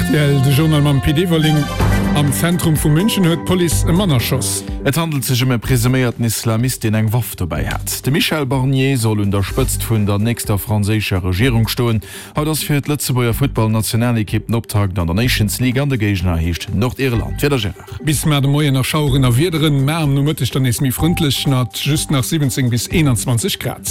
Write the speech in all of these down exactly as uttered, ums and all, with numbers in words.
Rtl, De Journal mam Pit Everling. Am Zentrum vu München huet d'Police e Mann erschoss. Et handelt sech ëm e presuméierten Islamist, deen eng Waff dobäi hat. De Michel Barnier soll un der Spëtzt vun der nächster franséischer Regierung stoen. Haut ass fir d'Lëtzebuerger Futtballnationalekipp den Optakt an der Nations League an de Géigner heescht Nordirland. Wieder Gérard. Bis mar de Moien nach Schaueren a Wiederen, mar am Nomëtteg dann nees méi frëndlech mat just nach siwwenzéng bis eenanzwanzeg Grad.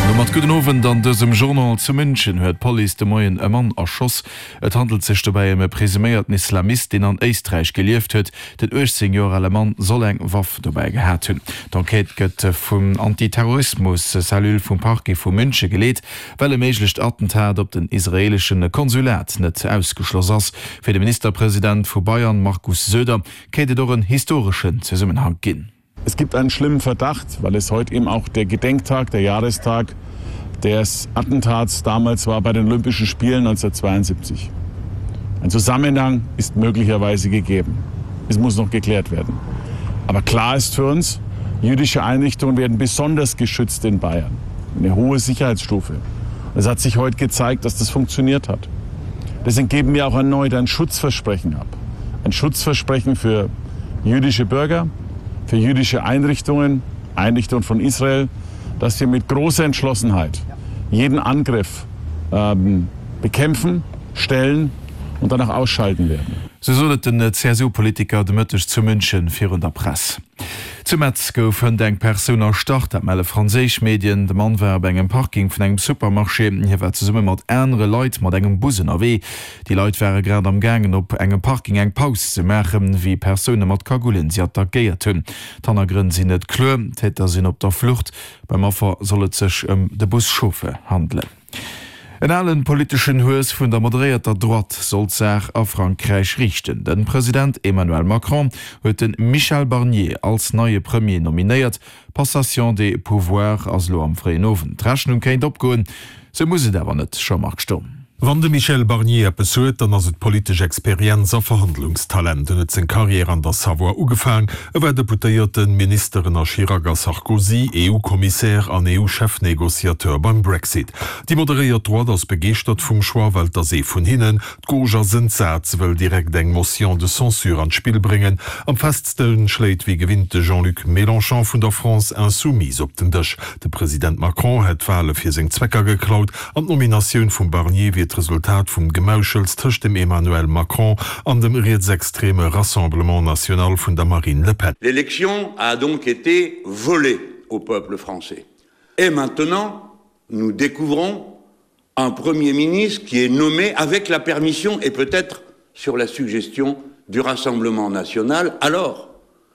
Domat gudden Owend an dësem Journal. Zu München huet d'Police de Moien e Mann erschoss. Et handelt sech dobäi ëm e presuméierten Islamist, deen an Éisträich gelieft huet. Den uechtzéng Joer ale Mann soll eng Waff dobäi gehat hunn. D'Enquête gëtt vum Antiterrorismus-Cellule vum Parquet vu Münche geleet, well e méiglecht Attentat op den israeelesche Konsulat net ausgeschloss ass. Fir de Ministerpresident vu Bayern, Markus Söder, kéint et och en historeschen Zesummenhank ginn. Es gibt einen schlimmen Verdacht, weil es heute eben auch der Gedenktag, der Jahrestag des Attentats damals war bei den Olympischen Spielen neunzehnhundertzweiundsiebzig. Ein Zusammenhang ist möglicherweise gegeben. Es muss noch geklärt werden. Aber klar ist für uns, jüdische Einrichtungen werden besonders geschützt in Bayern. Eine hohe Sicherheitsstufe. Es hat sich heute gezeigt, dass das funktioniert hat. Deswegen geben wir auch erneut ein Schutzversprechen ab. Ein Schutzversprechen für jüdische Bürger, für jüdische Einrichtungen, Einrichtungen von Israel, dass wir mit großer Entschlossenheit jeden Angriff ähm, bekämpfen, stellen und danach ausschalten werden. Sou sot et den C S U-Politiker de Mëtteg zu München virun der Press. Zu Metz gouf hënt eng Persoun erstach, dat melle franséisch Medien. De Mann war op engem Parking vun engem Supermarché. Hie war zesumme mat anere Leit mat engem Bus ënnerwee. Déi Leit ware grad am gaangen op engem Parking eng Paus ze maachen, wéi Persoune mat Kagullen si attackéiert hunn. D'Hannergrënn sinn net kloer. D'Täter sinn op der Flucht. Beim Affer soll et sech ëm de Buschauffeur handelen. En alen politeschen Hues vun der moderéierter Droite soll d'Saach a Frankräich riichten. Den President Emmanuel Macron huet den Michel Barnier als neie Premier nominéiert. Passation des pouvoirs ass elo am fréien Owend. D'Rechnung kéint opgoen, sou muss et awer net, Jean-Marc Sturm. Wann de Michel Barnier eppes huet, dann ass et politesch Experienz a Verhandlungstalent. En huet seng Karriär an der Savoie ugefaang. E war Deputéierten, Minister ënner Chirac a Sarkozy, E U-Kommissär an E U-Chefnegociateur beim Brexit. Déi moderéiert Droite ass begeeschtert vum Choix, well et ass ee vun hinnen. D'Gauche ass entsat, se wëll direkt eng Motion de censure an d'Spill bréngen. Am festste schléit wéi gewinnt de Jean-Luc Mélenchon vun der France Insoumise op den Dësch. De President Macron hätt d'Wale fir seng Zwecker geklaut an d'Nominatioun vum Barnier wier d'Resultat vum Gemauschels tëscht dem Emmanuel Macron an dem rietsextreme Rassemblement National vun der Marine Le Pen. L'élection a donc été volée au peuple français. Et maintenant, nous découvrons un Premier ministre qui est nommé avec la permission et peut-être sur la suggestion du Rassemblement national, alors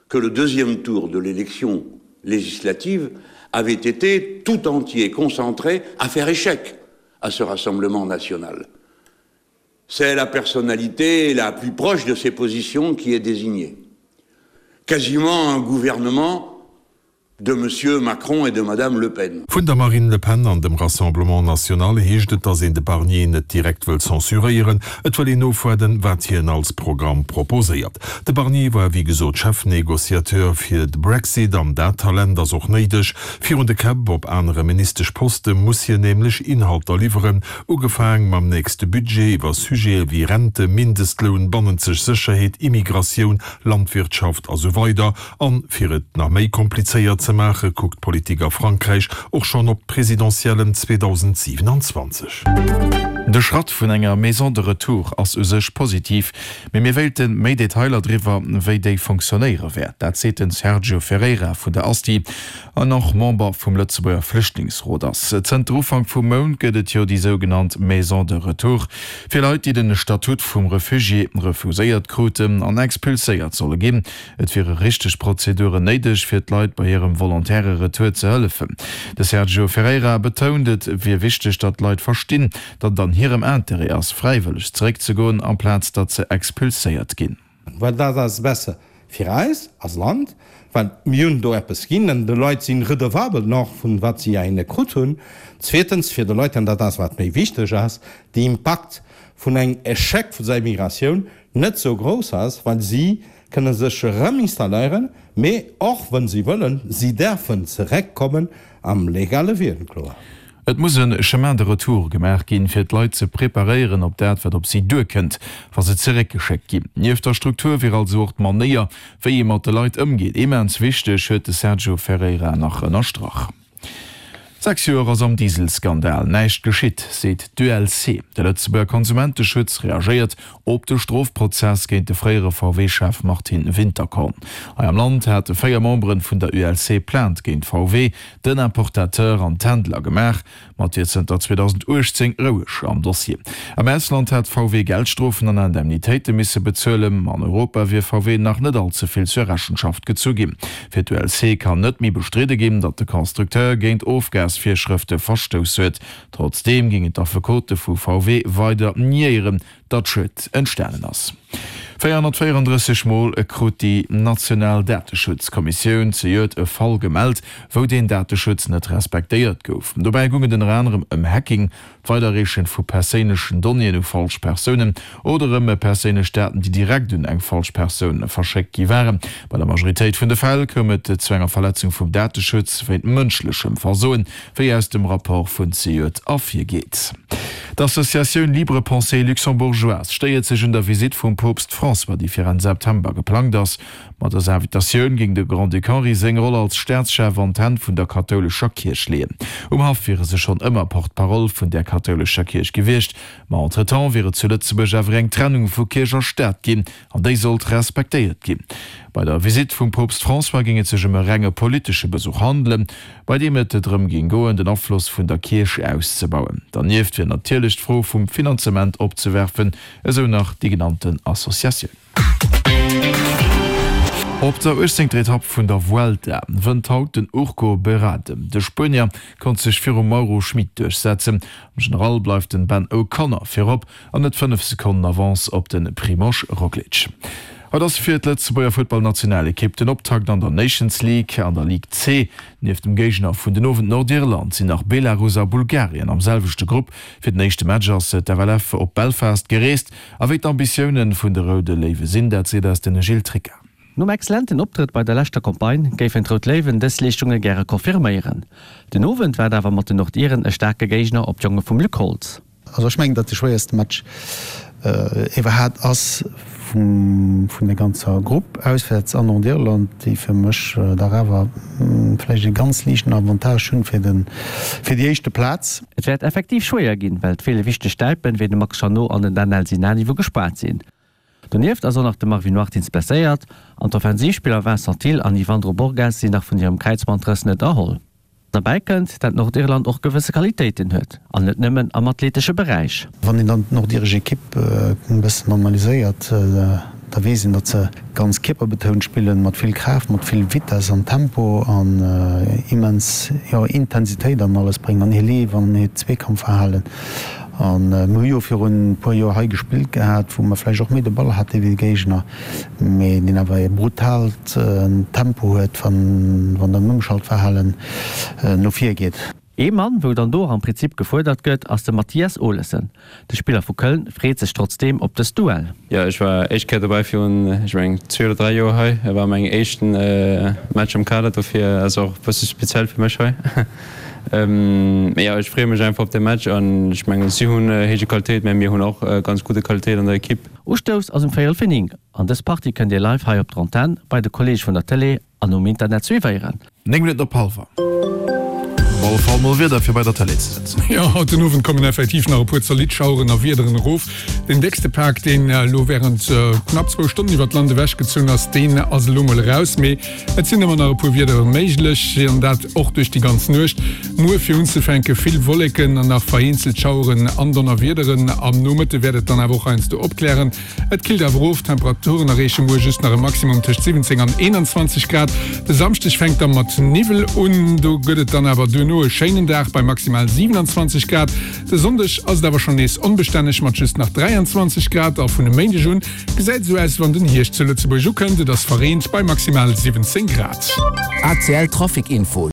que le deuxième tour de l'élection législative avait été tout entier concentré à faire échec à ce Rassemblement national. C'est la personnalité la plus proche de ses positions qui est désignée. Quasiment un gouvernement de Monsieur Macron et de Madame Le Pen. Vun der Marine Le Pen an dem Rassemblement National heescht et, datt een de Barnier net direkt wëll censuréieren. Et wëll een ofwaarden, wat hien als Programm proposéiert. De Barnier war wéi gesot Chefnegociateur fir de Brexit an dat Talent ass och néideg. Virun de Käpp op anere Ministeschposte muss hien nämlech Inhalter liwweren, ugefaang mam nächste Budget iwwer Sujete wéi Rente, Mindestloun, bannenzeg Sécherheet, Immigratioun, Landwirtschaft a sou weider. An fir et nach méi komplizéiert ze maache, kuckt d'Politik a Frankräich och schonn op d'Presidentiellen zweedausendsiewenundzwanzeg. De Schratt vun enger Maison de retour ass u sech positiv, mee mir wéilte méi Detailer driwwer, wéi déi fonctionnéiere wäert. Dat seet den Sergio Ferreira vun der ASTI an och Member vum Lëtzebuerger Flüchtlingsrot ass. Zënter Ufank vum Mount gëtt et jo déi sougenannt Maison de retour fir Leit, déi den Statut vum Refugié refuséiert kruten an expulséiert solle ginn. Et wiere richteg Prozeduren néideg, fir d'Leit bei hirem volontäre Retour ze hëllefen. De Sergio Ferreira betount, et wier wichteg, datt d'Leit verstinn, datt et an hirem Interêt ass, fräiwëlleg zeréckzegoen, amplaz datt se expulséiert ginn. Well dat ass besser fir eis als Land, well mir hunn do eppes ginn an de Leit sinn redevabel nach vun wat si hinne krut hunn. Zweetens fir de Leit, an dat ass wat méi wichteg ass, de Impakt vun engem Échec vun der Migratioun net sou grouss ass, well si kënne sech erëm installéieren, mee och, wann si wëllen, si däerfen zeréckkommen am legale Wee, kloer. Et muss e Chemin de retour gemaach ginn, fir d'Leit ze preparéieren op dat, wat op si duerkënnt, wa se zeréckgeschéckt ginn. Nieft der Struktur wier also och d'Manéier, wéi ee mat de Leit ëmgeet, immens wichteg, huet de Sergio Ferreira nach ënnerstrach. Sechs Joer ass am Dieselskandal näischt geschitt, seet d'ULC. De Lëtzebuerger Konsumenteschutz reagéiert op de Strofprozess géint de fréiere VW-Chef Martin Winterkorn. Hei am Land hate véier Membere vun der ULC Plainte géint VW, den Importateur an d'Händler gemaach. Ma et wier zënter zweedausenduechtzéng roueg am Dossier. Am Ausland hätt V W Geldstrofen an Indemnitéite misse bezuelen. An Europa wier V W nach net all ze vill zur Rechenschaft gezu ginn. Fir d'U L C kann net méi bestridde ginn, datt de Constructeur géint Ofgasvirschrëfte verstouss huet. Trotzdeem géingen d'Affekote vu V W weider niéieren, datt Schued entstanen ass. véierhonnertvéierandrësseg Mol krut déi national Dateschutzkommissioun zejoert e Fall gemellt, wou den Dateschutz net respektéiert gouf. Dobäi goung et ënner anerem ëm Hacking, d'Weiderreeche vu perséinlechen Donnéeën u falsch Persounen oder ëm perséinlech Daten, déi direkt un eng falsch Persoun verschéckt gi waren. Bei der Majoritéit vun de Fäll koum et zu enger Verletzung vum Dateschutz wéint mënschlechem Versoen, wéi aus dem Rapport vun zejoert ervirgeet. D'Associatioun Libre Pensée Luxembourgeoise stéiert sech un der Visitt vum Poopst François, déi fir Enn September geplangt ass. Mat dëser Invitatioun géing de Grand-Duc Henri seng Roll als Staatschef an d'Hänn vun der kathoulescher Kierch leeën. Um Haff wiere se schonn ëmmer Porte-parole vun där kathoulescher Kierch gewiescht, ma entretemps wier et zu Lëtzebuerg awer eng Trennung vu Kierch a Staat ginn, an déi sollt respektéiert ginn. Bei der Visitt vum Poopst François géing et sech ëm e renge politesche Besuch handelen, bei deem et drëm géing goen, den Afloss vun der Kierch auszebauen. Dernieft wier natierlech d'Fro vum Finanzement opzewerfen, esou nach déi genannten Associatioun. Op der uechtzéngter Etapp vun der Vuelta wënnt haut den Urko Berrade. De Spuenier konnt sech virum Mauro Schmid duerchsetzen. Am General bleift den Ben O'Connor virop an huet fënnef Sekonnen Avance op de Primož Roglič. Haut ass fir d'Lëtzebuerger Futtballnationalekipp den Optakt an der Nations League an der Ligue C. Nieft dem Géigner vun den Owend Nordirland sinn nach Belarus a Bulgarien am selwechte Grupp. Fir den éischte Match ass d'F L F op Belfast gereest. A wéi d'Ambitioune vun de Roude Léiwe sinn, dat seet eis den Gilles Tricca. Nom exzellenten Optrëtt bei der leschter Campagne géifen d'Rout Léiwen dës Leeschtunge gäre confirméieren. Den Owend waart awer mat den Nordiren e staarke Géigner op d'Jonge vum Luc Holtz. Also ech mengen, datt de schwéierste Match iwwerhaapt ass vun der ganzer Grupp, auswäerts an Nordirland, déi fir mech dach awer vläicht e ganz liichten Avantage hunn fir den, fir déi éischte Plaz. Et wäert effektiv schwéier ginn, well et feele wichteg Stäipen, wéi de Max Jeannot an den Danel Sinani wou gespaart sinn. Donieft ass och nach de Marvin Martins blesséiert an d'Offensivspiller Vincent Thill an Yvandro Borges sinn nach vun hirem Kräizbandrëss net erholl. Derbäi kënnt, dat Nordirland och gewësse Qualitéiten huet, an net nëmmen am athletesche Beräich. Wann een dann d'nordiresch Ekipp e bëssen analyséiert, da weess een, datt se ganz kierperbetount spillen, mat vill Kraaft, mat vill Vitess an Tempo an immens, jo, Intensitéit an alles bréngen, an hir Leef an hiert Zweekampfverhalen. A mir hu jo virun e puer Joer hei gespillt gehat, wou mer vläicht och méi de Ball hate wéi de Géigner, mee deen awer e brutaalt Tempo huet, wann wann den Ëmschaltverhalen no vir geet. Ee Mann, wou dann do och am Prinzip gefuerdert gëtt, ass de Mathias Olesen. De Spiller vu Köln freet sech trotzdeem op dëst Duell. Jo, ech war éischt Kéier dobäi virun, ech mengen, zwee oder dräi Joer hei. Et war mäin éischten Match am Kader, dofir ass och e bësse speziell fir mech hei. Mee jo, ech freeë mech einfach op de Match an ech mengen, si hunn héije Qualitéit, mä mir hunn och ganz gudde Qualitéit an der Ekipp. Ustouss ass um véierel vir néng an dës Partie kënnt Dir live hei op der Antenn, bei de Kolleege vun der Tëlee an um Internet suivéieren. Néng Minutten op hallwer. Op alle Fall mol Wieder fir bei der Tëlee ze sëtzen. Jo, haut den Owend kommen effektiv nach e puer zolidd Schaueren a Wiederen erof. Den déckste Pak, deen elo wärend knapp zwou Stonnen iwwert d'Land ewechgezunn ass, deen ass elo mol eraus. Mee et sinn ëmmer nach e puer Wiedere méiglech, an dat och duerch déi ganz Nuecht. Muer fir unzefänke vill Wolleken an nach vereenzelt Schaueren an Donnerwiederen. Am Nomëtte wäert et dann awer och heiansdo opklären. Et killt awer of, d'Temperaturen erreeche muer just nach e Maximum tëscht siwwenzéng an eenanzwanzeg Grad. De Samschdeg fänkt da mat Niwwel un, do gëtt et dann awer duerno e schéinen Dag bei maximal siwenanzwanzeg Grad. De Sonndeg ass et awer schonn nees onbestänneg mat just nach dräianzwanzeg Grad a vun e Méindeg un gesäit esou aus, wann den Hierscht zu Lëtzebuerg ukënnt. Et ass verreent bei maximal siwwenzéng Grad. A C L Trafic Info.